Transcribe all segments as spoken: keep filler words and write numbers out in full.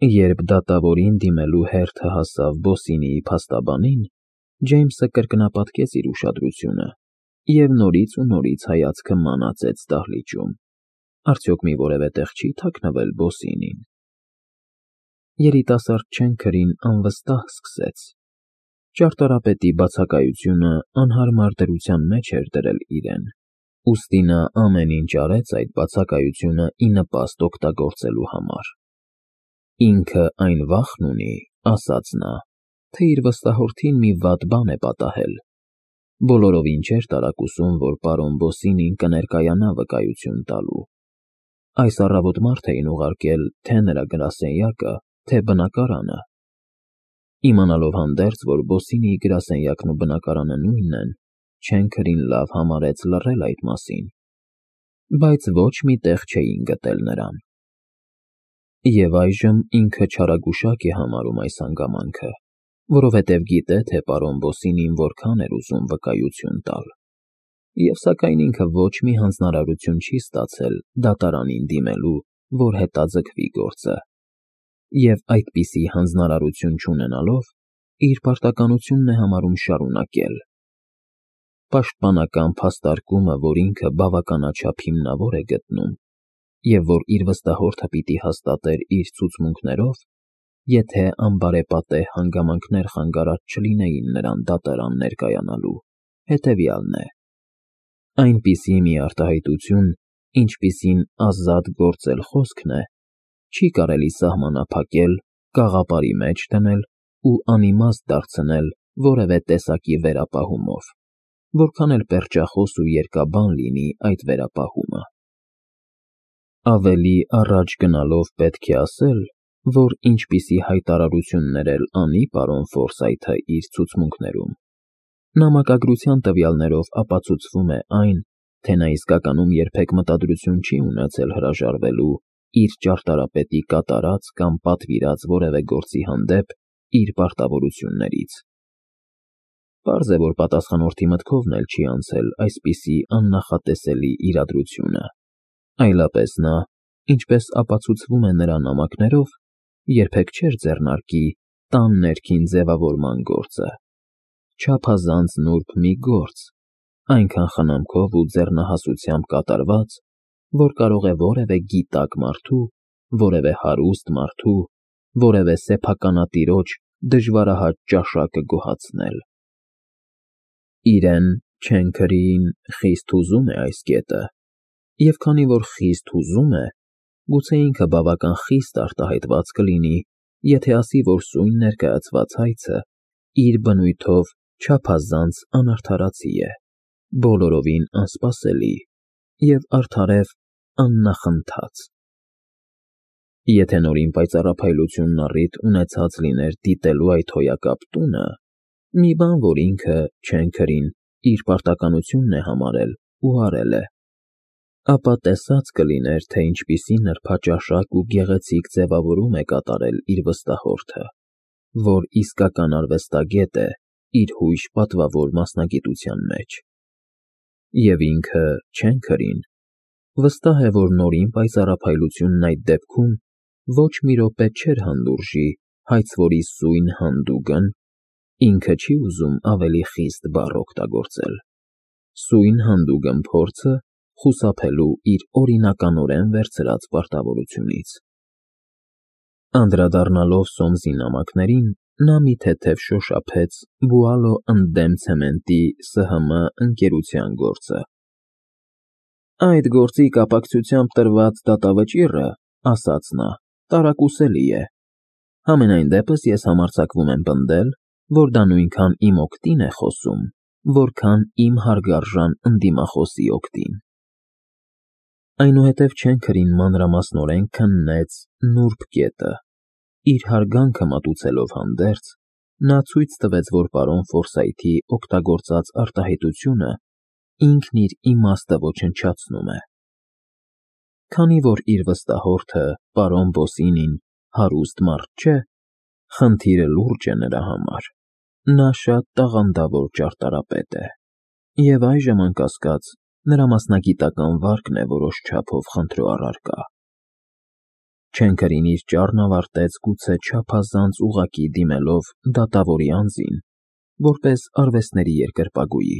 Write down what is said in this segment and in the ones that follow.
Երբ դատավորին դիմելու հերթը հասավ Բոսինիի փաստաբանին, Ջեյմսը կրկնապատկեց իր ուշադրությունը և նորից ու նորից հայացքը մանածեց դահլիճում. արդյոք մի որևէ տեղ չի թաքնվել Բոսինին։ Երիտասարդ Չենքրին անվստահ սկսեց։ Ճարտարապետի բացակայությունը անհարմար դրության մեջ էր դրել իրեն, ուստի նա ամեն ինչ արեց այդ բացակայությունը ի նպաստ օգտագործելու համար։ Ինքը այն վախն ունի, ասաց նա, թե իր վստահորդին մի վատ բան է պատահել։ Բոլորովին չէր տարակուսում, որ պարոն Բոսինին կներկայանա վկայություն տալու։ Այս առավոտ մարդ էին ուղարկել թե նրա գրասենյակը, թե բնակարանը։ Իմանալով հանդերձ, որ Բոսինիի գրասենյակն ու բնակարանը նույնն են, Չենքրին լավ համարեց լռել այդ մասին, բայց ոչ մի տեղ չէին գտել նրան։ Եվ այժմ ինքը չարագուշակ է համարում այս հանգամանքը, որովհետև գիտե, թե պարոն Բոսինին որքան էր ուզում վկայություն տալ, և սակայն ինքը ոչ մի հանձնարարություն չի ստացել դատարանին դիմելու, որ հետաձգվի գործը, և այդպիսի հանձնարարություն չունենալով, իր պարտականությունն է համարում շարունակել։ Պաշտպանական փաստարկումը, որ ինքը բավականաչափ հիմնավոր է գտնում, և որ իր վստահորդը պիտի հաստատեր իր ցուցմունքներով, եթե անբարեպատեհ հանգամանքներ խանգարած չլինեին նրան դատարան ներկայանալու, հետևյալն է. այնպիսի մի արտահայտություն, ինչպիսին ազատ գործել խոսքն է, չի կարելի սահմանափակել, կաղապարի մեջ դնել ու անիմաստ դարձնել որևէ տեսակի վերապահումով, որքան էլ պերճախոս ու երկաբան լինի այդ վերապահումը։ Ավելի առաջ գնալով պետք է ասել, որ ինչպիսի հայտարարություններ էլ անի պարոն Ֆորսայթը իր ցուցմունքներում, նամակագրության տվյալներով ապացուցվում է այն, թե նա իսկականում երբեք մտադրություն չի ունեցել հրաժարվելու իր ճարտարապետի կատարած կամ պատվիրած որևէ գործի հանդեպ իր պարտավորություններից։ Պարզ է, որ պատասխանորդի մտքովն էլ չի անցել այսպիսի աննախատեսելի իրադրությունը, այլապես նա, ինչպես ապացուցվում է նրա նամակներով, երբեք չէր ձեռնարկի տան ներքին ձևավորման գործը, չափազանց նուրբ մի գործ, այնքան խնամքով ու ձեռնահասությամբ կատարված, որ կարող է որևէ գիտակ մարդու, որևէ հարուստ մարդու, որևէ սեփականատիրոջ դժվարահաճ ճաշակը գոհացնել։ Իրեն՝ Չենքրիին խիստ հուզում է այս կետը, և քանի որ խիստ հուզում է, գուցե ինքը բավական խիստ արտահայտված կլինի, եթե ասի, որ սույն ներկայացված հայցը իր բնույթով չափազանց անարդարացի է, բոլորովին անսպասելի և արդարև աննախընթաց։ Եթե նորին պայծառափայլությունն առիթ ունեցած լիներ դիտելու այդ հոյակապ տունը, մի բան, որ ինքը՝ Չենքրին, իր պարտականությունն է համարել ու արել է, ապա տեսած կլիներ, թե ինչպիսի նրբաճաշակ ու գեղեցիկ ձևավորում է կատարել իր վստահորդը, որ իսկական արվեստագետ է իր հույժ պատվավոր մասնագիտության մեջ։ Եվ ինքը՝ Չենքրին, վստահ է, որ նորին պայծառափայլությունն այդ դեպքում ոչ մի րոպե չէր հանդուրժի հայցվորի սույն հանդուգն, ինքը չի ուզում ավելի խիստ բառ օգտագործել, սույն հանդուգն փորձը խուսափելու իր օրինականորեն վերցրած պարտավորությունից։ Անդրադառնալով Սոմսի նամակներին, նա մի թեթև շոշափեց Բուալո ընդդեմ ցեմենտի Ս Հ Մ ընկերության գործը։ Այդ գործի կապակցությամբ տրված դատավճիռը, ասաց նա, տարակուսելի է։ Համենայն դեպս ես համարձակվում եմ պնդել, որ դա նույնքան իմ օգտին է խոսում, որքան իմ հարգարժան ընդդիմախոսի օգտին։ Այնուհետև Չենքրին մանրամասնորեն քննեց նուրբ կետը, իր հարգանքը մատուցելով հանդերձ, նա ցույց տվեց, որ պարոն Ֆորսայթի օգտագործած արտահայտությունը ինքն իր իմաստը ոչնչացնում է։ Քանի որ իր վստահորդը՝ պարոն Բոսինին, հարուստ մարդ չէ, խնդիրը լուրջ է նրա համար, նա շատ տաղանդավոր ճարտարապետ է, և այժմ, անկասկած, նրա մասնագիտական վարկն է որոշ չափով խնդրու առարկա։ Չենքերին իր ճառն ավարտեց գուցե չափազանց ուղղակի դիմելով դատավորի անձին, որպես արվեստների երկրպագուի,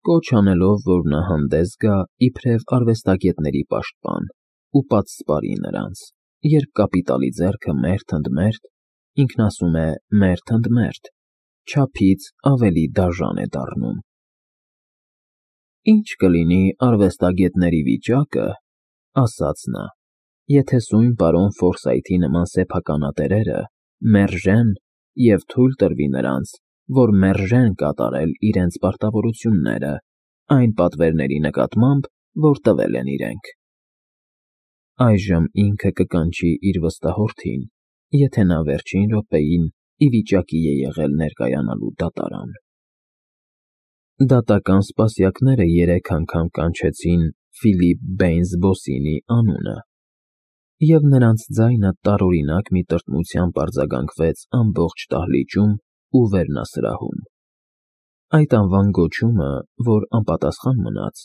կոչ անելով, որ նա հանդես գա իբրև արվեստագետների պաշտպան ու պատսպարի նրանց, երբ կապիտալի ձեռքը մերթ ընդ մերթ, ինքն ասում է մերթ ընդ մերթ, չափից ավելի դաժան է դառնում։ Ինչ կլինի արվեստագետների վիճակը, ասաց նա, եթե սույն պարոն Ֆորսայթի նման սեփականատերերը մերժեն և թույլ տրվի նրանց, որ մերժեն կատարել իրենց պարտավորությունները այն պատվերների նկատմամբ, որ տվել են իրենք։ Այժմ ինքը կկանչի իր վստահորդին, եթե նա վերջին րոպեին ի վիճակի է եղել ներկայանալու դատարան։ Դատական սպասյակները երեք անգամ կանչեցին Ֆիլիպ Բեյնսբոսինի անունը, և նրանց ձայնը տարօրինակ մի տրտմությամբ արձագանքվեց ամբողջ դահլիճում ու վերնասրահում։ Այդ անվան գոչումը, որ անպատասխան մնաց,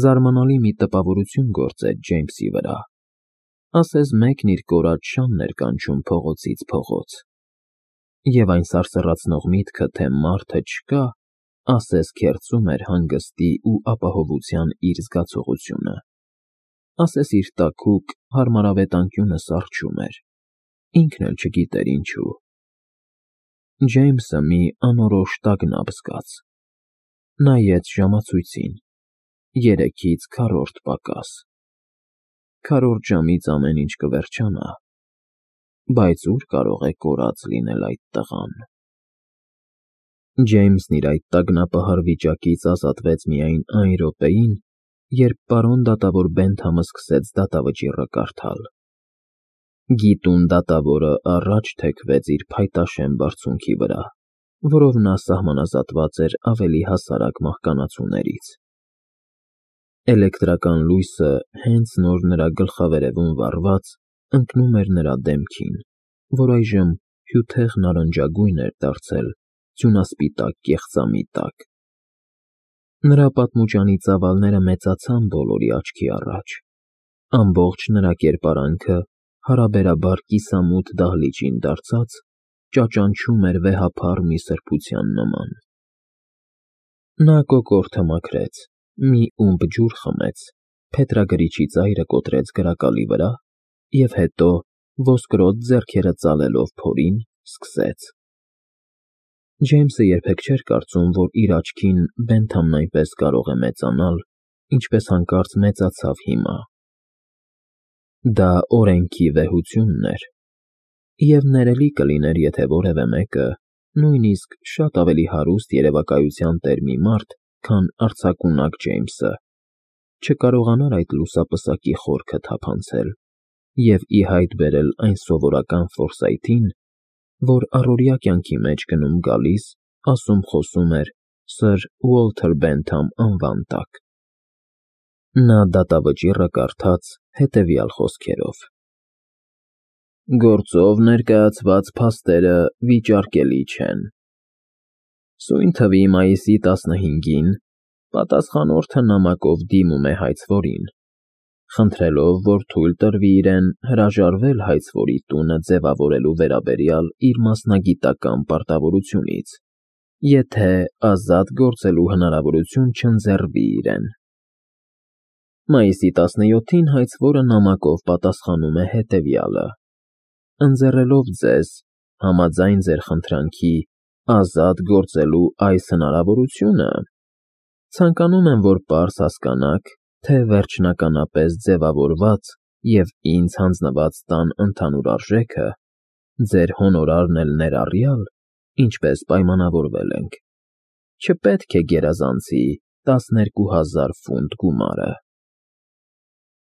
զարմանալի մի տպավորություն գործեց Ջեյմսի վրա, ասես մեկն իր կորած շանն էր կանչում փողոցից փողոց, և այն սարսռացնող միտքը, թե մարդը չկա, ասես քերծում էր հանգստի ու ապահովության իր զգացողությունը, ասես իր տաքուկ, հարմարավետ անկյունը սառչում էր, ինքն էլ չգիտեր ինչու։ Ջեյմսը մի անորոշ տագնապ զգաց։ Նայեց ժամացույցին. երեքից քառորդ պակաս։ Քառորդ ժամից ամեն ինչ կվերջանա, բայց ո՞ւր կարող է կորած լինել այդ տղան։ Ջեյմսն իր այդ տագնապահար վիճակից ազատվեց միայն այն րոպեին, երբ պարոն դատավոր Բենթամը սկսեց դատավճիռը կարդալ։ Գիտուն դատավորը առաջ թեքվեց իր փայտաշեն բարձունքի վրա, որով նա սահմանազատված էր ավելի հասարակ մահկանացուներից։ Էլեկտրական լույսը հենց նոր նրա գլխավերևում վառված, ընկնում էր նրա դեմքին, որ այժմ հյութեղ նարնջագույն էր դարձել ձյունասպիտակ կեղծամի տակ։ Նրա պատմուճանի ծավալները մեծացան բոլորի աչքի առաջ, ամբողջ նրա կերպարանքը հարաբերաբար կիսամութ դահլիճին դարձած, ճաճանչում էր վեհափառ մի սրբության նման։ Նա կոկորդը մաքրեց, մի ումպ ջուր խմեց, փետրագրիչի ծայրը կոտրեց գրակալի վրա և հետո, ոսկրոտ ձեռքերը ծալելով փորին, սկսեց. Ջեյմսը երբեք չէր կարծում, որ իր աչքին Բենթամն այնպես կարող է մեծանալ, ինչպես հանկարծ մեծացավ հիմա։ Դա օրենքի վեհությունն էր, և ներելի կլիներ, եթե որևէ մեկը, նույնիսկ շատ ավելի հարուստ երևակայության տեր մի մարդ, քան արձակունակ Ջեյմսը, չկարողանար այդ լուսապսակի խորքը թափանցել և ի հայտ բերել այն սովորական Ֆորսայթին, որ առօրյա կյանքի մեջ գնում֊գալիս, ասում֊խոսում էր սըր Ուոլթեր Բենթամ անվան տակ։ Նա դատավճիռը կարդաց հետևյալ խոսքերով. Գործով ներկայացված փաստերը վիճարկելի չեն։ Սույն թվի մայիսի տասնհինգին պատասխանորդը նամակով դիմում է հայցվորին, խնդրելով, որ թույլ տրվի իրեն հրաժարվել հայցվորի տունը ձևավորելու վերաբերյալ իր մասնագիտական պարտավորությունից, եթե ազատ գործելու հնարավորություն չընձեռվի իրեն։ Մայիսի տասնյոթին հայցվորը նամակով պատասխանում է հետևյալը. Ընձեռելով ձեզ, համաձայն ձեր խնդրանքի, ազատ գործելու այս հնարավորությունը, ցանկանում եմ, որ պարզ հասկանաք, թե վերջնականապես ձևավորված և ինձ հանձնված տան ընդհանուր արժեքը, ձեր հոնորարն էլ ներառյալ, ինչպես պայմանավորվել ենք, չպետք է գերազանցի տասներկու հազար ֆունտ գումարը։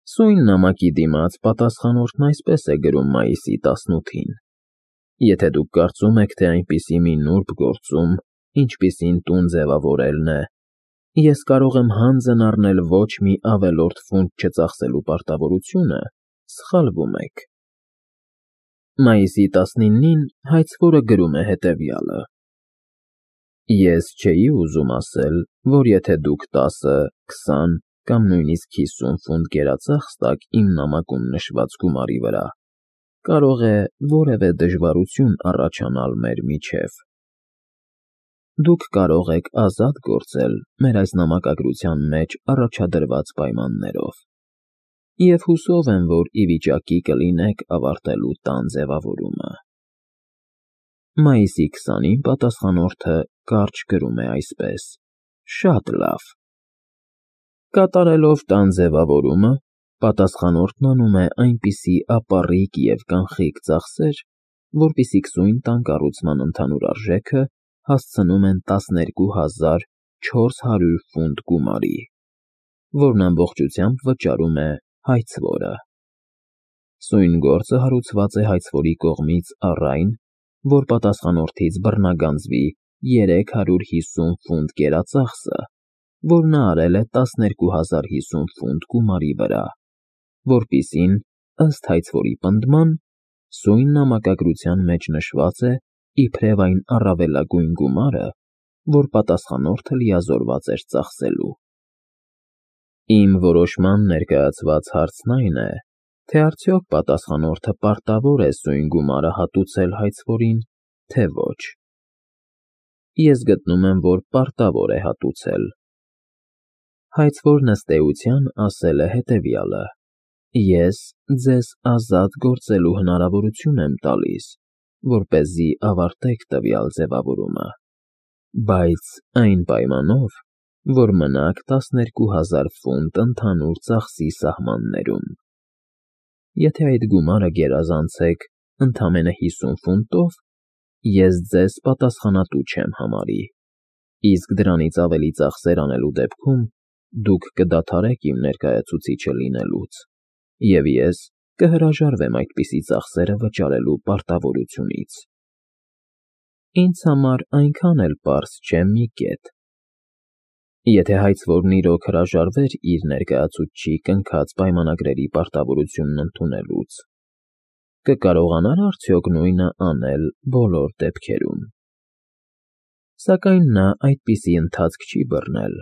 Սույն նամակի դիմաց պատասխանորդն այսպես է գրում մայիսի տասնութին. Եթե դուք կարծում եք, թե այնպիսի մի նուրբ գործում, ինչպիսին տուն ձևավորելն է, ես կարող եմ հանձն առնել ոչ մի ավելորդ ֆունտ չծախսելու պարտավորությունը, սխալվում եք։ Մայիսի տասնինին հայցվորը գրում է հետևյալը. Ես չէի ուզում ասել, որ եթե դուք տասը, քսան կամ նույնիսկ հիսուն ֆունտ գերածախս տաք իմ նամակում նշված գումարի վրա, կարող է որևէ դժվարություն առաջանալ մեր միջև։ Դուք կարող եք ազատ գործել մեր այս նամակագրության մեջ առաջադրված պայմաններով, և հուսով եմ, որ ի վիճակի կլինեք ավարտելու տան ձևավորումը։ Մայիսի քսանին պատասխանորդը կարճ գրում է այսպես. Շատ լավ։ Կատարելով տան ձևավորումը, պատասխանորդն անում է այնպիսի ապառիկ և կանխիկ ծախսեր, որպեսզի կսույն տան կառուցման ընդհանուր արժեքը հասցնում են տասներկու հազար չորս հարյուր ֆունտ գումարի, որն ամբողջությամբ վճարում է հայցվորը։ Սույն գործը հարուցված է հայցվորի կողմից առ այն, որ պատասխանորդից բռնագանձվի երեք հարյուր հիսուն ֆունտ կերածախսը, որ նա արել է տասներկու հազար հիսուն ֆունտ գումարի վրա, որպիսին, ըստ հայցվորի պնդման, սույն նամակագրության մեջ նշված է իբրև այն առավելագույն գումարը, որ պատասխանորդը լիազորված էր ծախսելու։ Իմ որոշման ներկայացված հարցն այն է, թե արդյոք պատասխանորդը պարտավոր է սույն գումարը հատուցել հայցվորին, թե ոչ։ Ես գտնում եմ, որ պարտավոր է հատուցել։ Հայցվորն ըստ էության ասել է հետևյալը. Ես ձեզ ազատ գործելու հնարավորություն եմ տալիս, որպեսզի ավարտեք տվյալ ձևավորումը, բայց այն պայմանով, որ մնաք տասներկու հազար ֆունտ ընդհանուր ծախսի սահմաններում։ Եթե այդ գումարը գերազանցեք ընդամենը հիսուն ֆունտով, ես ձեզ պատասխանատու չեմ համարի, իսկ դրանից ավելի ծախսեր անելու դեպքում դուք կդադարեք իմ ներկայացուցիչը լինելուց, և ես կհրաժարվեմ այդպիսի ծախսերը վճարելու պարտավորությունից։ Ինձ համար այնքան էլ պարզ չէ մի կետ. եթե հայցվորն իրոք հրաժարվեր իր ներկայացուցչի կնքած պայմանագրերի պարտավորությունն ընդունելուց, կկարողանա՞ր արդյոք նույնը անել բոլոր դեպքերում։ Սակայն նա այդպիսի ընթացք չի բռնել։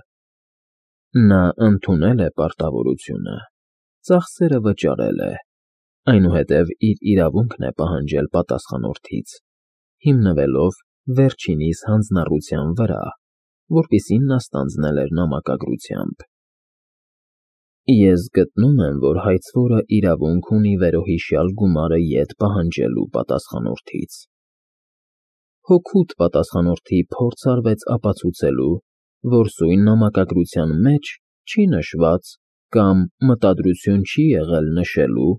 Նա ընդունել է պարտավորությունը, ծախսերը վճարել է, այնուհետև իր իրավունքն է պահանջել պատասխանորդից, հիմնվելով վերջինիս հանձնառության վրա, որպիսին նա ստանձնել էր նամակագրությամբ։ Ես գտնում եմ, որ հայցվորը իրավունք ունի վերոհիշյալ գումարը ետ պահանջելու պատասխանորդից։ Հօգուտ պատասխանորդի փորձ արվեց ապացուցելու, որ սույն նամակագրության մեջ չի նշված կամ մտադրություն չի եղել նշելու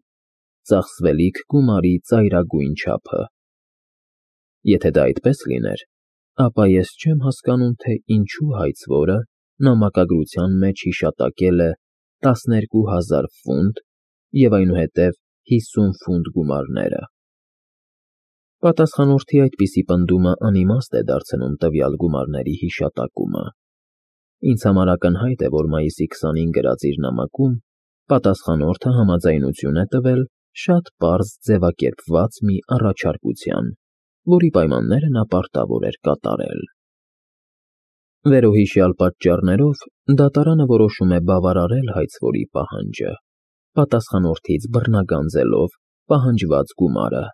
ծախսվելիք գումարի ծայրագույն չափը։ Եթե դա այդպես լիներ, ապա ես չեմ հասկանում, թե ինչու հայցվորը նամակագրության մեջ հիշատակել է տասներկու հազար ֆունտ և այնուհետև հիսուն ֆունտ գումարները։ Պատասխանորդի այդպիսի պնդումը անիմաստ է դարձնում տվյալ գումարների հիշատակումը։ Ինձ համար ակնհայտ է, որ մայիսի քսանին գրած իր նամակում պատասխանորդը համաձայնություն է տվել շատ պարզ ձևակերպված մի առաջարկության, որի պայմանները նա պարտավոր էր կատարել։ Վերոհիշյալ պատճառներով դատարանը որոշում է բավարարել հայցվորի պահանջը, պատասխանորդից բռնագանձելով պահանջված գումարը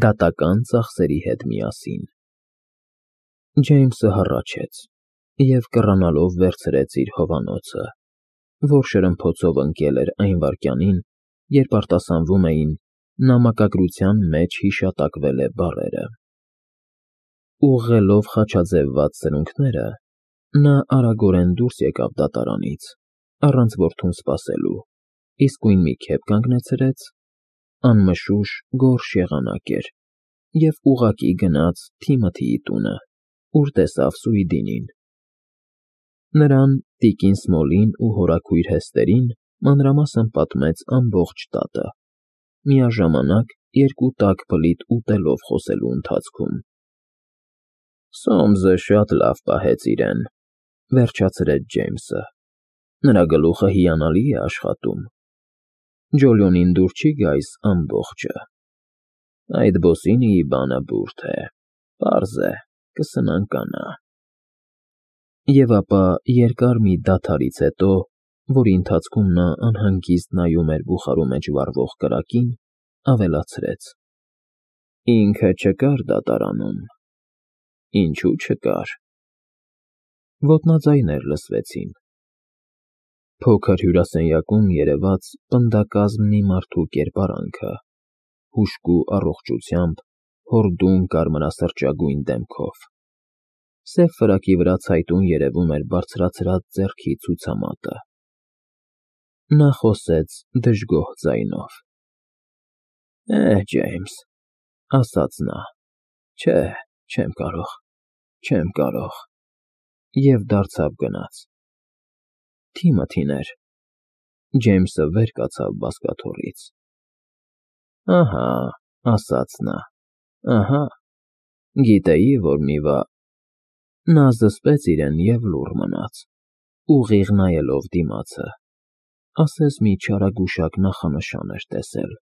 դատական ծախսերի հետ միասին։ Ջեյմսը հառաչեց և կռանալով վերցրեց իր հովանոցը, որ շրմփոցով ընկել էր այն վայրկյանին, երբ արտասանվում էին «նամակագրության մեջ հիշատակվել է» բառերը։ Ուղղելով խաչաձևված սրունքները, նա արագորեն դուրս եկավ դատարանից, առանց որդուն սպասելու, իսկույն մի քեֆ կանգնեցրեց, անմշուշ գորշ եղանակ էր, և ուղղակի գնաց Թիմոթիի տունը, ուր տեսավ Սուիդինին։ Նրան, տիկին Սմոլին ու հորաքույր Հեստերին մանրամասն պատմեց ամբողջ տատը, միաժամանակ երկու տաք բլիթ ուտելով խոսելու ընթացքում։ Սոմսը շատ լավ պահեց իրեն, վերջացրեց Ջեյմսը, նրա գլուխը հիանալի է աշխատում։ Ջոլիոնին դուր չի գայս ամբողջը։ Այդ բոսինիի բանը բուրդ է, պարզ է, կսնանկանա։ Եվ ապա երկար մի դադարից հետո, որի ընթացքում նա անհանգիստ նայում էր բուխարու մեջ վառվող կրակին, ավելացրեց. Ինքը չկար դատարանում։ Ինչու չկար։ Ոտնաձայներ լսվեցին։ Փոքր հյուրասենյակում երևաց պնդակազմ մի մարդու կերպարանքը, հուժկու առողջությամբ, հորդում կարմրասրճագույն դեմքով։ Սև ֆրակի վրա ցայտուն երևում էր բարձրացրած ձեռքի ցուցամատը։ Նա խոսեց դժգոհ ձայնով. Է, Ջեյմս, ասաց նա, չէ, չեմ կարող, չեմ կարող, և դարձավ գնաց։ Թիմոթին էր։ Ջեյմսը վեր կացավ բազկաթոռից։ Ահա, ասաց նա, ահա, գիտեի, որ մի վա… Նա զսպեց իրեն և լուռ մնաց, ուղիղ նայելով դիմացը, ասես մի չարագուշակ նախանշան էր տեսել։